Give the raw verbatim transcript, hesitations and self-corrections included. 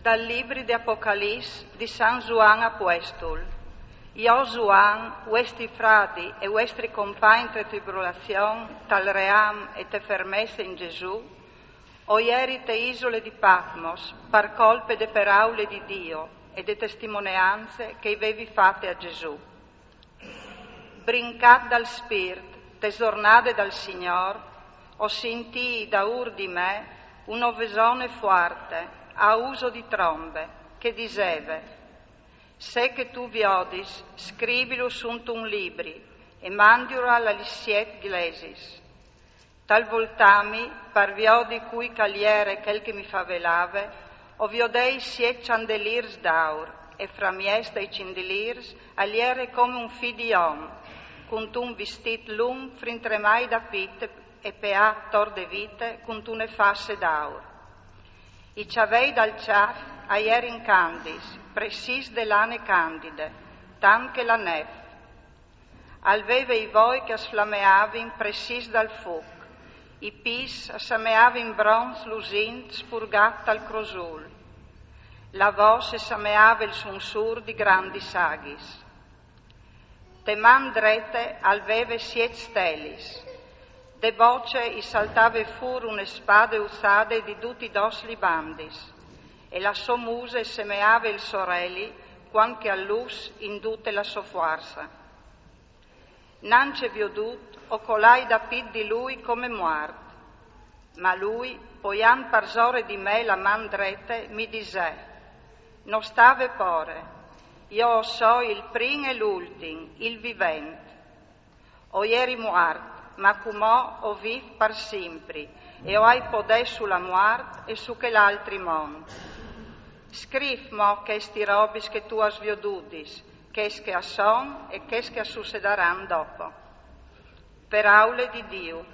Dal libri de Apocalips di San Zuan Apuestul. Jo Zuan, uestri fradi e uestri compagn te tribulazion, tal ream e te fermesse in Gesù, o jeri te isule di Patmos par colpe de peraule di Dio e de testimoneanze che i vevi fate a Gesù. Brincat dal Spirt, te zornade dal Signor, o sintii daur di me une vesone fuarte, a uso di trombe, che diseve: Se che tu viodis, scrivilu suntun libri e mandiulu a lis siet glesis. Tal voltami, par viodi cui che al jere chel che mi favelave, o viodei siet candelirs d'aur, e framiès dai cindilirs al jere come un fi di om, cuntun vistit lungh frintremai da pit e peà tor de vite cuntune fasse d'aur. I cjavei dal cjâf a jerin candis, pressis de lane candide, tant che la nef. Al veve i voi che a sflameavin pressis dal fuc, i pîts a sameavin bronz lusint spurgât tal crosul, la vos e sameave il sunsur di grandis aghis. Te man drete al veve siet stelis, de bocje i saltave fûr une spade uzade di dutis dôs li bandis, e la sô muse semeave il soreli cuant che al lus in dute la sô fuarsa. Nancje viodût, o colai da pit di lui come muart. Ma lui, poiant parsore di me la man drete, mi disè: No stâ vê pôre, jo o soi il prin e l'ultin, il vivent. O jeri muart, ma cumò o vîf par simpri, e o ai podè su la muart e su chel altri mont. Scrîf mo chestis robis che tu âs viodudis, chês che a son e chês che a sucedaran dopo. Peraule di Diu.